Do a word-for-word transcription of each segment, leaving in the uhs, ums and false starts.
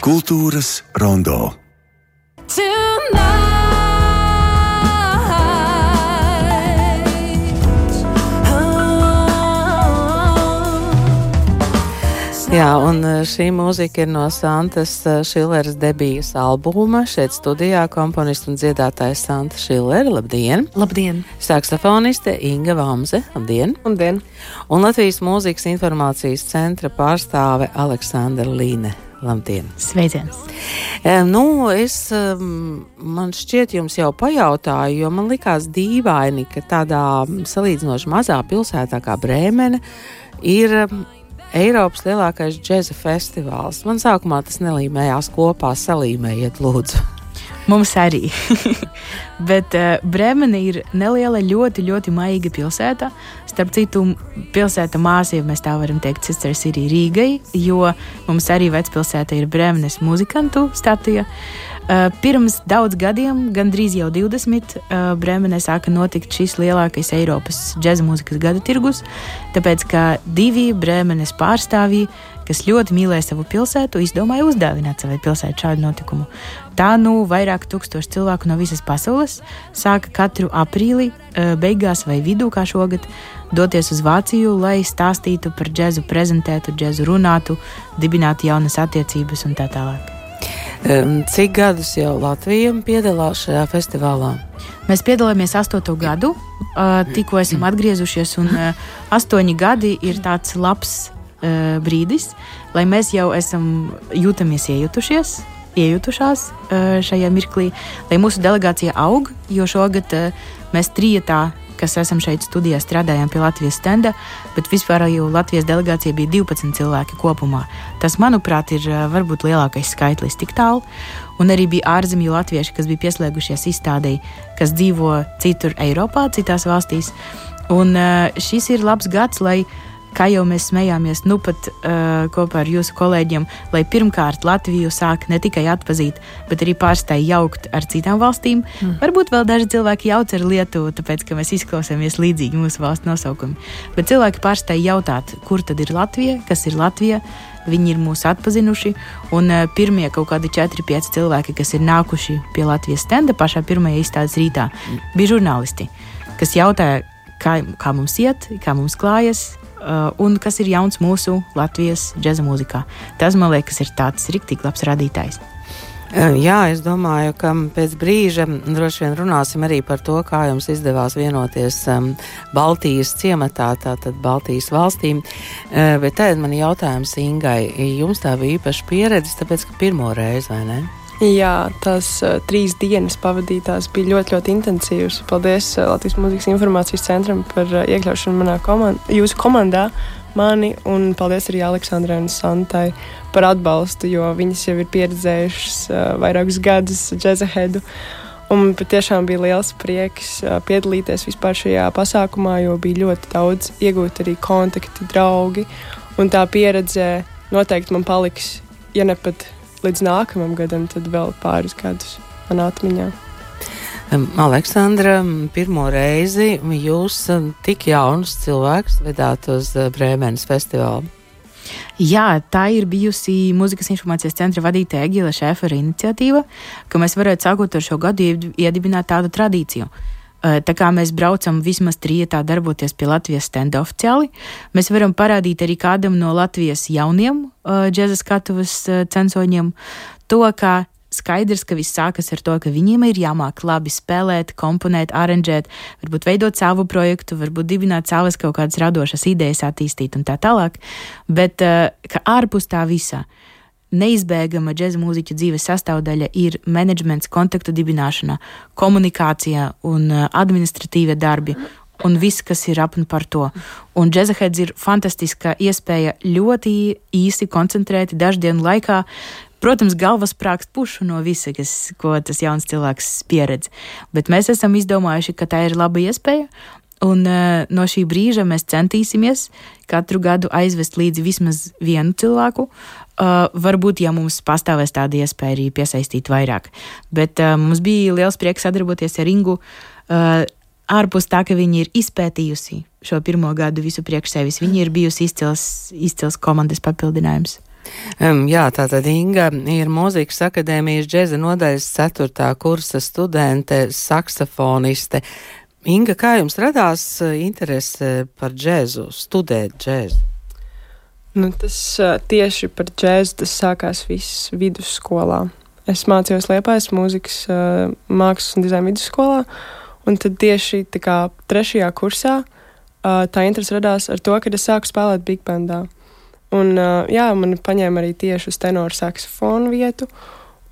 Kultūras rondo. Jā, un šī mūzika ir no Santas Šileres debijas albuma. Šeit studijā komponists un dziedātājs Santa Šilere. Labdien! Labdien! Saksofoniste Inga Vamze. Labdien! Labdien! Un Latvijas mūzikas informācijas centra pārstāve Aleksandra Līne. Labdien! Sveiciens! E, nu, es, man šķiet, jums jau pajautāju, jo man likās dīvaini, ka tādā salīdzinoši mazā pilsētā kā Brēmene ir Eiropas lielākais džeza festivāls. Man sākumā tas nelīmējās kopā, salīmējiet lūdzu. Mums arī. Bet uh, Brēmene ir neliela, ļoti, ļoti maiga pilsēta. Starp citu, pilsēta māsa, ja mēs tā varam teikt, Sister City Rīgai, jo mums arī vecpilsēta ir Brēmenes muzikantu statija. Uh, pirms daudz gadiem, gandrīz jau divdesmit, uh, Brēmenē sāka notikt šis lielākais Eiropas džeza mūzikas gada tirgus, tāpēc, ka divi Brēmenes pārstāvji, kas ļoti mīlēja savu pilsētu, izdomāja uzdāvināt savai pilsētai šādu notikumu. Tā nu vairāk tūkstoši cilvēku no visas pasaules sāka katru aprīli, uh, beigās vai vidū, kā šogad, doties uz Vāciju, lai stāstītu par džezu, prezentētu džezu, runātu, dibinātu jaunas attiecības un tā tālāk. Cik gadus jau Latvija piedalās šajā festivālā? Mēs piedalāmies astoto gadu, tikko esam atgriezušies, un astoņi gadi ir tāds labs brīdis, lai mēs jau esam jūtamies iejutušies, iejutušās šajā mirklī, lai mūsu delegācija aug, jo šogad mēs trietā, kas esam šeit studijā, strādājām pie Latvijas stenda, bet vispār jau Latvijas delegācija bija divpadsmit cilvēki kopumā. Tas, manuprāt, ir varbūt lielākais skaitlis tik tālu. Un arī bija ārzemju latvieši, kas bija pieslēgušies izstādei, kas dzīvo citur Eiropā, citās valstīs. Un šis ir labs gads, lai, kā jau mēs smējāmies, nu pat uh, kopā ar jūsu kolēģiem, lai pirmkārt Latviju sāk ne tikai atpazīt, bet arī pārstāj jaukt ar citām valstīm. Mm. Varbūt vēl daži cilvēki jauc ar Lietuvu, tāpēc, ka mēs izklausāmies līdzīgi mūsu valsts nosaukumi. Bet cilvēki pārstāj jautāt, kur tad ir Latvija, kas ir Latvija, viņi ir mūs atpazinuši, un uh, pirmie kaut kādi četri pieci cilvēki, kas ir nākuši pie Latvijas stenda pašā pirmajā izstādes rītā, mm. bija žurnālisti, kas jautāja, kā, kā mums iet, kā mums klājas, Uh, un kas ir jauns mūsu Latvijas džeza mūzikā. Tas, man liekas, ir tāds riktīgi labs radītājs. Jā, es domāju, ka pēc brīža droši vien runāsim arī par to, kā jums izdevās vienoties um, Baltijas ciematā, tātad Baltijas valstīm. Uh, bet tagad man jautājums Ingai. Jums tā bija īpaša pieredze, tāpēc, ka pirmo reizi, vai ne? Jā, tās uh, trīs dienas pavadītās bija ļoti, ļoti intensīvas. Paldies uh, Latvijas mūzikas informācijas centram par uh, iekļaušanu manā komand- jūsu komandā, mani, un paldies arī Aleksandrai un Santai par atbalstu, jo viņas jau ir pieredzējušas uh, vairākus gadus džezahedu. Un patiešām bija liels prieks uh, piedalīties vispār šajā pasākumā, jo bija ļoti daudz iegūt arī kontakti, draugi, un tā pieredze noteikti man paliks, ja ne pat līdz nākamam gadam, tad vēl pāris gadus manā atmiņā. Aleksandra, pirmo reizi jūs tik jaunus cilvēkus vedāt uz Brēmenes festivālu. Jā, tā ir bijusi Mūzikas informācijas centra vadītāja Egila Šēfera iniciatīva, ka mēs varētu sākot ar šo gadu iedibināt tādu tradīciju. Tā kā mēs braucam vismaz trietā darboties pie Latvijas stenda oficiāli, mēs varam parādīt arī kādam no Latvijas jauniem uh, džeza skatuves uh, censoņiem to, ka skaidrs, ka viss sākas ar to, ka viņiem ir jāmāk labi spēlēt, komponēt, aranžēt, varbūt veidot savu projektu, varbūt dibināt savas kaut kādas radošas idejas, attīstīt un tā tālāk, bet uh, ka ārpus tā visā neizbēgama džeza mūziķa dzīves sastāvdaļa ir menedžments, kontaktu dibināšana, komunikācija un administratīvie darbi un viss, kas ir ap un par to. Un džezaheads ir fantastiska iespēja ļoti īsi koncentrēti daždienu laikā, protams, galvas sprākst pušu no visa, kas, ko tas jauns cilvēks pieredz. Bet mēs esam izdomājuši, ka tā ir laba iespēja, un uh, no šī brīža mēs centīsimies katru gadu aizvest līdzi vismaz vienu cilvēku. Uh, varbūt, ja mums pastāvēs tāda iespēja arī piesaistīt vairāk. Bet uh, mums bija liels prieks sadarboties ar Ingu. Uh, ārpus tā, ka viņi ir izpētījusi šo pirmo gadu visu priekš sevis, viņi ir bijusi izcils, izcils komandas papildinājums. Um, jā, tātad Inga ir Mūzikas akadēmijas džeza nodaļas ceturtā kursa studente, saksofoniste. Inga, kā jums radās interese par džezu, studēt džezu? Nu, tas tieši par džezu tas sākās viss vidusskolā. Es mācījos Liepājas mūzikas mākslas un dizaina vidusskolā, un tad tieši tā kā trešajā kursā tā interese radās ar to, kad es sāku spēlēt big bandā. Un, uh, jā, man paņēma arī tieši uz tenoru saksofonu vietu,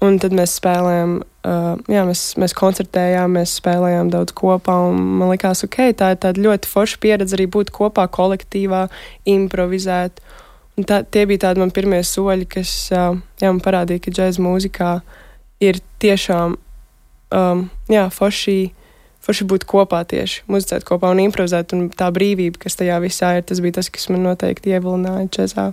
un tad mēs spēlējām, uh, jā, mēs, mēs koncertējām, mēs spēlējām daudz kopā, un man likās, ok, tā ir tāda ļoti forša pieredze arī būt kopā kolektīvā, improvizēt. Un tā, tie bija tādi man pirmie soļi, kas, uh, jā, man parādīja, ka džēza mūzikā ir tiešām, um, jā, forši, forši būt kopā tieši, muzicēt kopā un improvizēt, un tā brīvība, kas tajā visā ir, tas bija tas, kas man noteikti ievilināja džezā.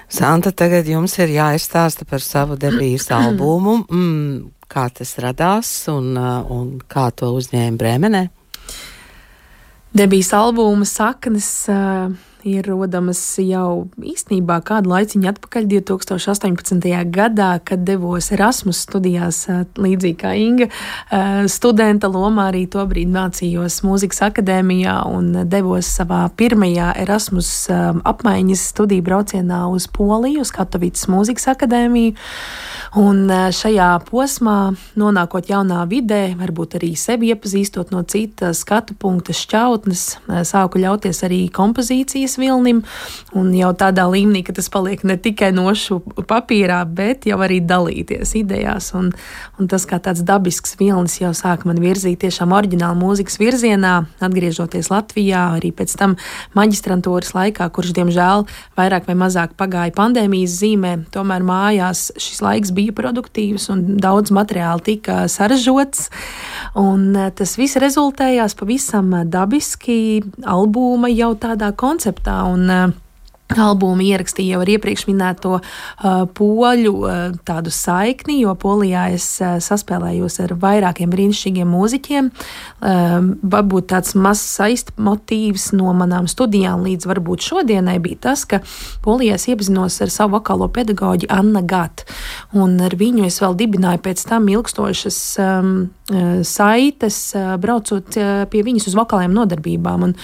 Santa, tagad jums ir jāizstāsta par savu debijas albumu, mm, kā tas radās un, un kā to uzņēma Brēmenē. Debijas albuma saknes uh, ir rodamas jau īstenībā kādu laiciņu atpakaļ divi tūkstoši astoņpadsmitajā gadā, kad devos Erasmus studijās, līdzīgi kā Inga. Studenta lomā arī tobrīd mācījos Mūzikas akadēmijā un devos savā pirmajā Erasmus apmaiņas studiju braucienā uz Poliju, uz Katovicas Mūzikas akadēmiju. Un šajā posmā, nonākot jaunā vidē, varbūt arī sevi iepazīstot no cita skatu punkta šķautnes, sāku ļauties arī kompozīcijas vilnim, un jau tādā līmenī, ka tas paliek ne tikai nošu papīrā, bet jau arī dalīties idejās, un, un tas kā tāds dabisks vilnis jau sāk man virzīt tiešām oriģinālu mūzikas virzienā, atgriežoties Latvijā, arī pēc tam maģistrantūras laikā, kurš, diemžēl, vairāk vai mazāk pagāja pandēmijas zīmē, tomēr mājās šis laiks bija produktīvs un daudz materiāli tika saražots, un tas viss rezultējās pavisam dabiski albuma jau tādā konceptā, un uh, albumu ierakstīja jau ar iepriekš minēto uh, poļu uh, tādu saikni, jo Polijā es uh, saspēlējos ar vairākiem brīnišķīgiem mūziķiem. Uh, varbūt tāds mazs saistmotīvs no manām studijām līdz varbūt šodienai bija tas, ka Polijā es iepazinos ar savu vokālo pedagoģi Anna Gat, un ar viņu es vēl dibināju pēc tam ilgstošas um, saites, braucot pie viņas uz vokālajām nodarbībām, un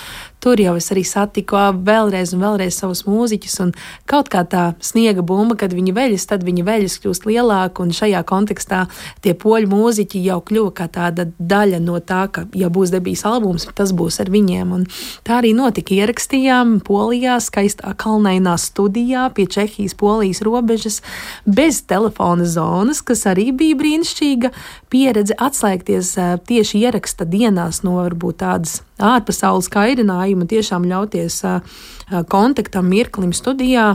tur jau es arī satiku vēlreiz un vēlreiz savus mūziķus, un kaut kā tā sniega bumba, kad viņi veļas, tad viņi veļas kļūst lielāka, un šajā kontekstā tie poļu mūziķi jau kļuva kā tāda daļa no tā, ka, ja būs debijas albums, tas būs ar viņiem, un tā arī notika. Ierakstījām Polijā, skaistā kalnainā studijā pie Čehijas-Polijas robežas, bez telefona zonas, kas arī bija brīnišķīga pieredze atslēgties tieši ieraksta dienās no varbūt tādas ārpasaules kairinājuma, tiešām ļauties kontaktam, mirklim studijā.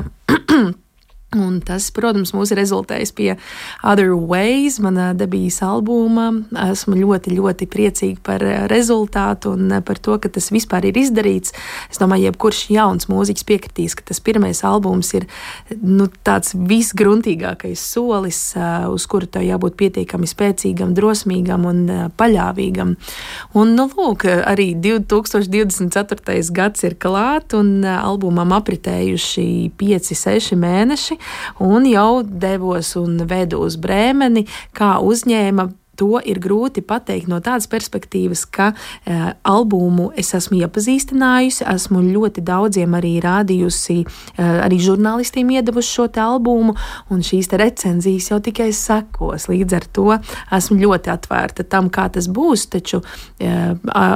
Un tas, protams, mūs ir rezultējis pie Other Ways, manā debijas albuma. Esmu ļoti, ļoti priecīga par rezultātu un par to, ka tas vispār ir izdarīts. Es domāju, jebkurš jauns mūziķis piekritīs, ka tas pirmais albums ir nu, tāds visgruntīgākais solis, uz kuru tev jābūt pietiekami spēcīgam, drosmīgam un paļāvīgam. Un, nu, lūk, arī divi tūkstoši divdesmit ceturtais gads ir klāt un albumam apritējuši pieci, seši mēneši. Un jau devos un vedu uz Brēmeni, kā uzņēma. To ir grūti pateikt no tādas perspektīvas, ka e, albumu es esmu iepazīstinājusi, esmu ļoti daudziem arī rādījusi, e, arī žurnālistiem iedevuši šo te albumu, un šīs te recenzijas jau tikai sekos. Līdz ar to esmu ļoti atvērta tam, kā tas būs, taču e, a,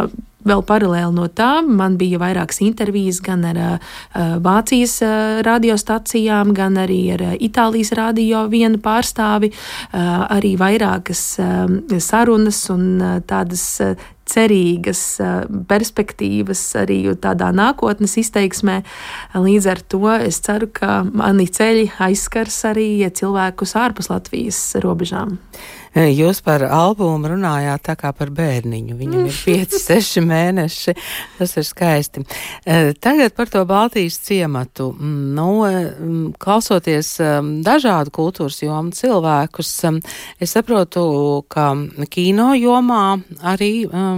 vēl paralēli no tā man bija vairākas intervijas gan ar uh, Vācijas uh, radiostacijām, gan arī ar uh, Itālijas radio vienu pārstāvi, uh, arī vairākas uh, sarunas un uh, tādas uh, cerīgas perspektīvas arī tādā nākotnes izteiksmē. Līdz ar to es ceru, ka mani ceļi aizskars arī cilvēkus ārpus Latvijas robežām. Jūs par albumu runājāt tā kā par bērniņu. Viņam ir pieci, seši mēneši. Tas ir skaisti. Tagad par to Baltijas ciematu. Nu, klausoties dažādu kultūras jomu cilvēkus, es saprotu, ka kino jomā arī um,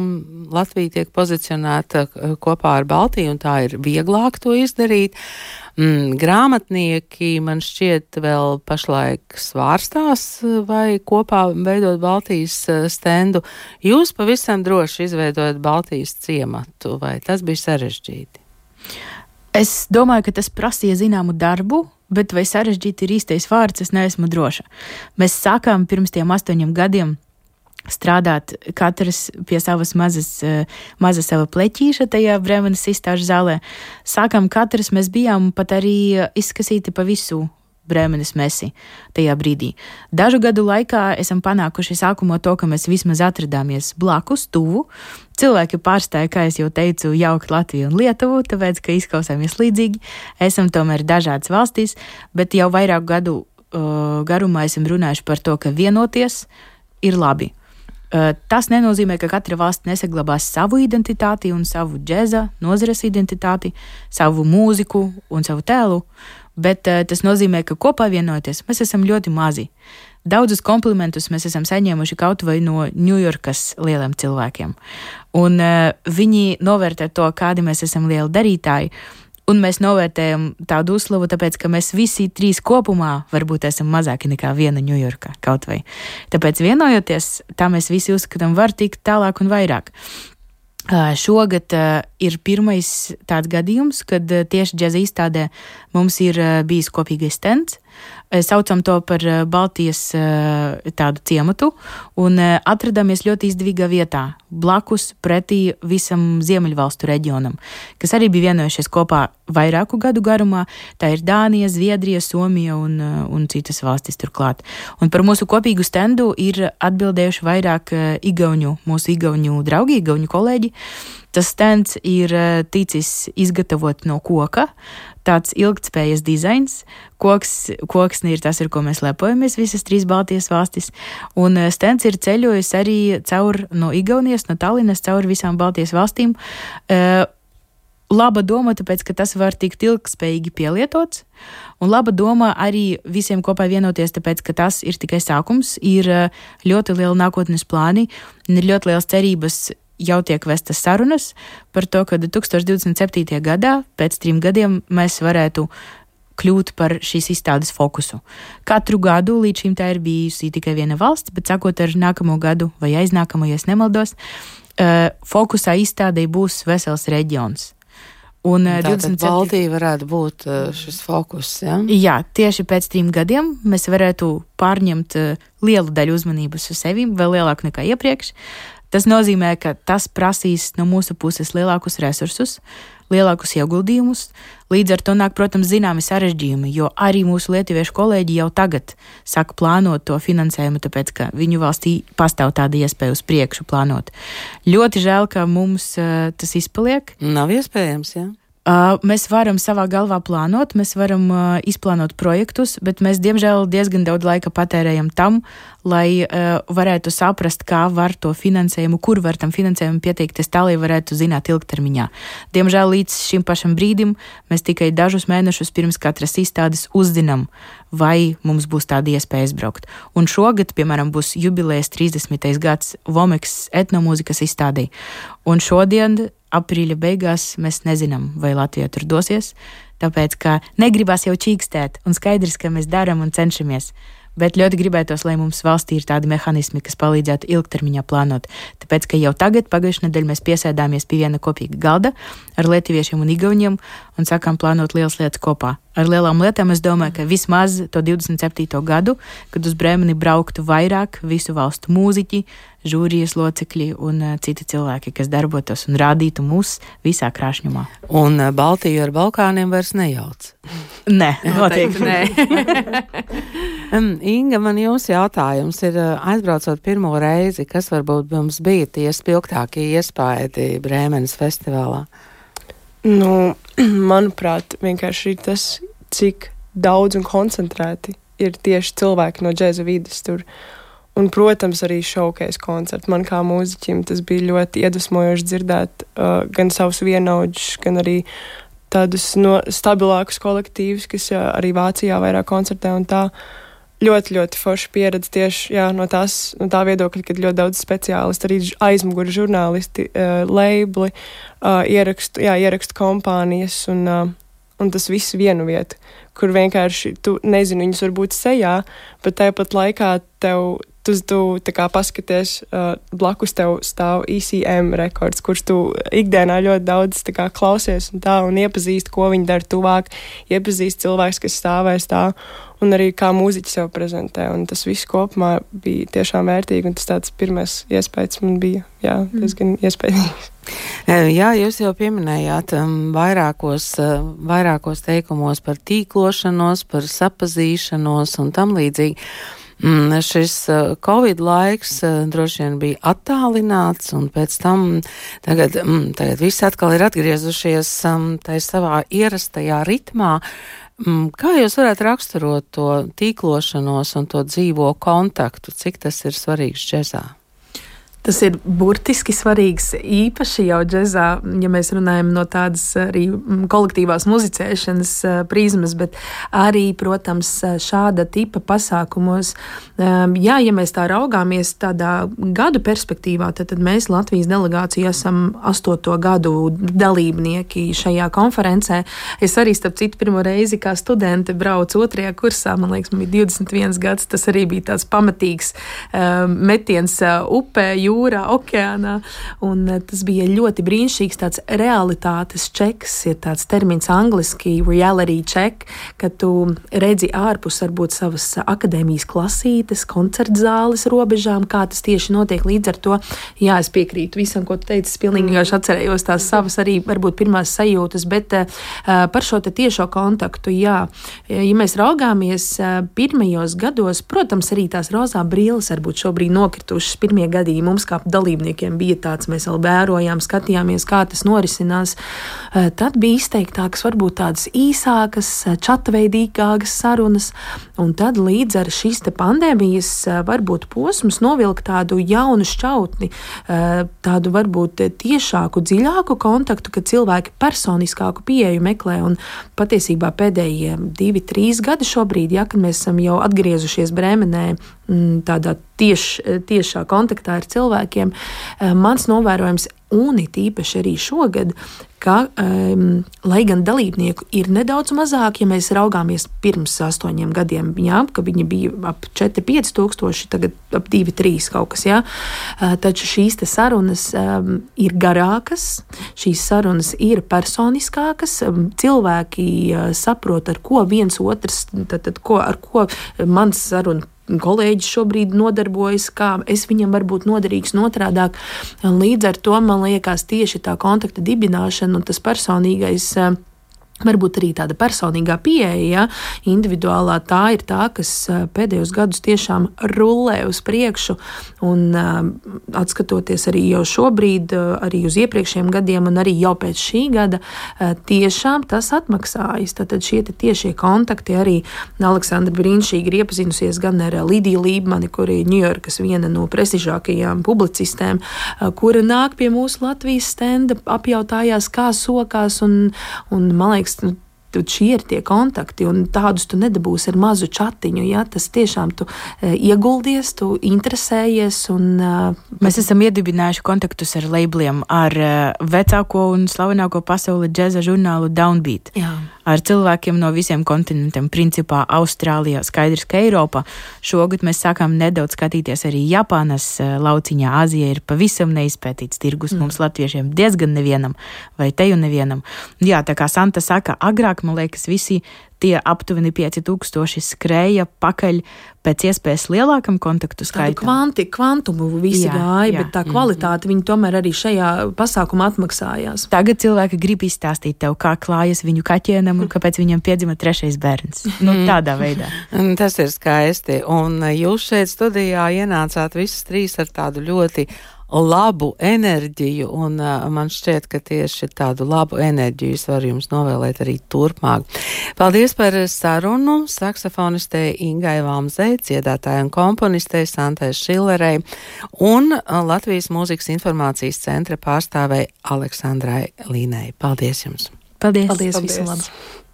Latvija tiek pozicionēta kopā ar Baltiju, un tā ir vieglāk to izdarīt. Mm, grāmatnieki man šķiet vēl pašlaik svārstās vai kopā veidot Baltijas stendu. Jūs pavisam droši izveidojat Baltijas ciematu, vai tas bija sarežģīti? Es domāju, ka tas prasīja zināmu darbu, bet vai sarežģīti ir īstais vārds, es neesmu droša. Mēs sākām pirms tiem astoņiem gadiem strādāt katrs pie savas mazas, maza sava pleķīša tajā Bremenes izstāžu zālē. Sākām katrs, mēs bijām pat arī izskasīti pa visu Bremenes mesi tajā brīdī. Dažu gadu laikā esam panākuši sākumā to, ka mēs vismaz atradāmies blakus, tuvu. Cilvēki pārstāja, kā es jau teicu, jaukt Latviju un Lietuvu, tāpēc, ka izklausāmies līdzīgi. Esam tomēr dažādas valstīs, bet jau vairāk gadu uh, garumā esam runājuši par to, ka vienoties ir labi. Uh, tas nenozīmē, ka katra valsts nesaglabās savu identitāti un savu džeza, nozares identitāti, savu mūziku un savu tēlu, bet uh, tas nozīmē, ka kopā vienoties mēs esam ļoti mazi. Daudzus komplimentus mēs esam saņēmuši kaut vai no Ņujorkas lieliem cilvēkiem. Un uh, viņi novērtē to, kādi mēs esam lieli darītāji, un mēs novērtējam tādu uzslavu, tāpēc, ka mēs visi trīs kopumā varbūt esam mazāki nekā viena Ņujorka kaut vai. Tāpēc vienojoties, tā mēs visi uzskatām var tikt tālāk un vairāk. Uh, šogad uh, ir pirmais tāds gadījums, kad uh, tieši džeza izstādē mums ir uh, bijis kopīgais stends. Saucam to par Baltijas tādu ciematu un atradāmies ļoti izdevīgā vietā, blakus pretī visam Ziemeļvalstu reģionam, kas arī bija vienojušies kopā vairāku gadu garumā. Tā ir Dānija, Zviedrija, Somija un, un citas valstis turklāt. Un par mūsu kopīgu stendu ir atbildējuši vairāk igauņu, mūsu igauņu draugi, igauņu kolēģi. Tas stends ir ticis izgatavot no koka, tāds ilgtspējas dizains. Koks, koksni ir tas, ar ko mēs lepojamies visas trīs Baltijas valstis. Un stends ir ceļojis arī caur no Igaunijas, no Tallinas, caur visām Baltijas valstīm. Uh, laba doma, tāpēc, ka tas var tikt ilgtspējīgi pielietots. Un laba doma arī visiem kopā vienoties, tāpēc, ka tas ir tikai sākums. Ir ļoti liela nākotnes plāni un ir ļoti liels cerības. Jau tiek vestas sarunas par to, ka divtūkstoš divdesmit septītajā gadā, pēc trim gadiem, mēs varētu kļūt par šīs izstādes fokusu. Katru gadu līdz šim tā ir bijusi tikai viena valsts, bet sākot ar nākamo gadu vai aiznākamo, ja es nemaldos, fokusā izstādē būs vesels reģions. Un tātad Baltija varētu būt šis fokus, ja? Jā, tieši pēc trim gadiem mēs varētu pārņemt lielu daļu uzmanības uz sevi, vēl lielāku nekā iepriekš. Tas nozīmē, ka tas prasīs no mūsu puses lielākus resursus, lielākus ieguldījumus. Līdz ar to nāk, protams, zināmi sarežģījumi, jo arī mūsu lietuviešu kolēģi jau tagad saka plānot to finansējumu, tāpēc, ka viņu valstī pastāv tāda iespēja uz priekšu plānot. Ļoti žēl, ka mums uh, tas izpaliek. Nav iespējams, jā. Uh, mēs varam savā galvā plānot, mēs varam uh, izplānot projektus, bet mēs, diemžēl, diezgan daudz laika patērējam tam, lai uh, varētu saprast, kā var to finansējumu, kur var tam finansējumu pieteikties tā, lai varētu zināt ilgtermiņā. Diemžēl līdz šim pašam brīdim mēs tikai dažus mēnešus pirms katras izstādes uzzinām, vai mums būs tāda iespēja izbraukt. Un šogad, piemēram, būs jubilejas trīsdesmitais gads Vomeks etnomūzikas izstādē. Un šodien aprīļa beigās mēs nezinām, vai Latvija tur dosies, tāpēc, ka negribas jau čīkstēt, un skaidrs, ka mēs darām un cenšamies. Bet ļoti gribētos, lai mums valstī ir tādi mehānismi, kas palīdzētu ilgtermiņā plānot. Tāpēc, ka jau tagad, pagājušajā nedēļā, mēs piesēdāmies pie viena kopīga galda ar lietuviešiem un igauņiem un sākām plānot lielas lietas kopā. Ar lielām lietām es domāju, ka vismaz to divdesmit septīto gadu, kad uz Bremeni brauktu vairāk visu valstu mūziķi, žūrijas locekļi un uh, citi cilvēki, kas darbotos un rādītu mūs visā krāšņumā. Un uh, Baltiju ar Balkāniem vairs nejauc? Nē, noteikti nē. um, Inga, man jums jautājums ir, uh, aizbraucot pirmo reizi, kas varbūt mums bija tie spilgtākie iespaidi Brēmenes festivālā? Nu, manuprāt, vienkārši ir tas, cik daudz un koncentrēti ir tieši cilvēki no džeza vides tur. Un, protams, arī showcase koncerti. Man kā mūziķim tas bija ļoti iedvesmojoši dzirdēt uh, gan savus vienaudžus, gan arī tādus no stabilākus kolektīvus, kas jā, arī Vācijā vairāk koncertē un tā. Ļoti, ļoti forša pieredze tieši jā, no, tās, no tā viedokļa, kad ļoti daudz speciālisti, arī aizmuguri žurnālisti, uh, leibli, uh, ierakstu, jā, ierakstu kompānijas un uh, un tas viss vienu vietu, kur vienkārši tu nezini, viņus varbūt sejā, bet tāpat laikā tev, tu, tu tā kā paskaties, uh, blakus tev stāv E C M rekords, kurš tu ikdienā ļoti daudz tā kā klausies un tā, un iepazīst, ko viņi dara tuvāk, iepazīst cilvēks, kas stāvēs tā, un arī kā mūziķi sev prezentē, un tas viss kopumā bija tiešām vērtīgi, un tas tāds pirmais iespējas man bija, jā, diezgan mm. iespējīgs. Jā, jūs jau pieminējāt um, vairākos, uh, vairākos teikumos par tīklošanos, par sapazīšanos un tam līdzīgi. Mm, šis uh, Covid laiks uh, droši vien bija attālināts, un pēc tam tagad, mm, tagad viss atkal ir atgriezušies um, tai savā ierastajā ritmā. Mm, kā jūs varētu raksturot to tīklošanos un to dzīvo kontaktu? Cik tas ir svarīgs džezā? Tas ir burtiski svarīgs, īpaši jau džezā, ja mēs runājam no tādas arī kolektīvās muzicēšanas prizmas, bet arī, protams, šāda tipa pasākumos. Jā, ja mēs tā raugāmies tādā gadu perspektīvā, tad, tad mēs Latvijas delegācija esam astoto gadu dalībnieki šajā konferencē. Es arī, starp citu, pirmo reizi kā studente braucu otrajā kursā, man liekas, man bija divdesmit viens gads, tas arī bija tāds pamatīgs metiens upē, jūrā, okeānā, un tas bija ļoti brīnišķīgs tāds realitātes čeks, ir tāds termins angliski reality check, ka tu redzi ārpus varbūt savas akadēmijas klasītes, koncertzāles robežām, kā tas tieši notiek. Līdz ar to, jā, es piekrītu visam, ko tu teici, es pilnīgi vienkārši atcerējos tās savas arī varbūt pirmās sajūtas, bet uh, par šo te tiešo kontaktu, jā, ja mēs raugāmies uh, pirmajos gados, protams, arī tās rozā brilles varbūt šobrīd nokritušas pirmie gadījumi. Mums kā dalībniekiem bija tāds, mēs vēl vērojām, skatījāmies, kā tas norisinās. Tad bija izteiktākas, varbūt tādas īsākas, čatveidīgākas sarunas, un tad līdz ar šīs te pandēmijas varbūt posms novilk tādu jaunu šķautni, tādu varbūt tiešāku, dziļāku kontaktu, kad cilvēki personiskāku pieeju meklē, un patiesībā pēdējie divi, trīs gadi šobrīd, ja, kad mēs esam jau atgriezušies Brēmenē, tādā tieš, tiešā kontaktā ar cilvēkiem, mans novērojums, un it īpaši arī šogad, ka, um, lai gan dalībnieku ir nedaudz mazāk, ja mēs raugāmies pirms astoņiem gadiem, jā, ka viņi bija ap četri pieci tūkstoši, tagad ap divi trīs kaut kas, jā, uh, taču šīs te sarunas um, ir garākas, šīs sarunas ir personiskākas, um, cilvēki uh, saprot, ar ko viens otrs, tad, tad, ko, ar ko mans saruna kolēģis šobrīd nodarbojas, kā es viņam varbūt noderīgs notrādāk. Līdz ar to, man liekas, tieši tā kontakta dibināšana un tas personīgais, varbūt arī tāda personīgā pieeja, ja, individuālā, tā ir tā, kas pēdējos gadus tiešām rullē uz priekšu, un atskatoties arī jau šobrīd, arī uz iepriekšējiem gadiem, un arī jau pēc šī gada, tiešām tas atmaksājas. Tātad šie tiešie kontakti arī Aleksandra brīnišķīgi ir iepazinusies gan ar Lidiju Lībmani, kuri ir Ņujorkas viena no prestižākajām publicistēm, kura nāk pie mūsu Latvijas stenda, apjautājās, kā sokās, un, un man liekas, nu, šie ir tie kontakti, un tādus tu nedabūsi ar mazu čatiņu, ja, tas tiešām tu e, ieguldies, tu interesējies, un... E, Mēs esam iedibinājuši kontaktus ar labeliem, ar e, vecāko un slavenāko pasauli džeza žurnālu Downbeat. Jā. Ar cilvēkiem no visiem kontinentiem, principā Austrālijā, skaidrs, ka Eiropā. Šogad mēs sākām nedaudz skatīties arī Japānas lauciņā. Āzija ir pavisam neizpētīts tirgus, mm. mums latviešiem diezgan nevienam, vai teju nevienam. Jā, tā kā Santa saka, agrāk, man liekas, visi tie aptuveni pieci tūkstoši skrēja pakaļ pēc iespējas lielākam kontaktu skaitam. Tādu kvanti, kvantumu visi jā, gāja, jā, bet tā kvalitāte mm. viņi tomēr arī šajā pasākumā atmaksājās. Tagad cilvēki grib izstāstīt tev, kā klājas viņu kaķēnam un kāpēc viņam piedzima trešais bērns. Nu, tādā veidā. Tas ir skaisti. Un jūs šeit studijā ienācāt visas trīs ar tādu ļoti labu enerģiju, un uh, man šķiet, ka tieši tādu labu enerģiju es varu jums novēlēt arī turpmāk. Paldies par sarunu saksofonistei Ingai Valmzei, dziedātāja un komponistei Santai Šilerei un uh, Latvijas Mūzikas informācijas centra pārstāvei Aleksandrai Līnei. Paldies jums! Paldies! Paldies, Paldies. visu labu!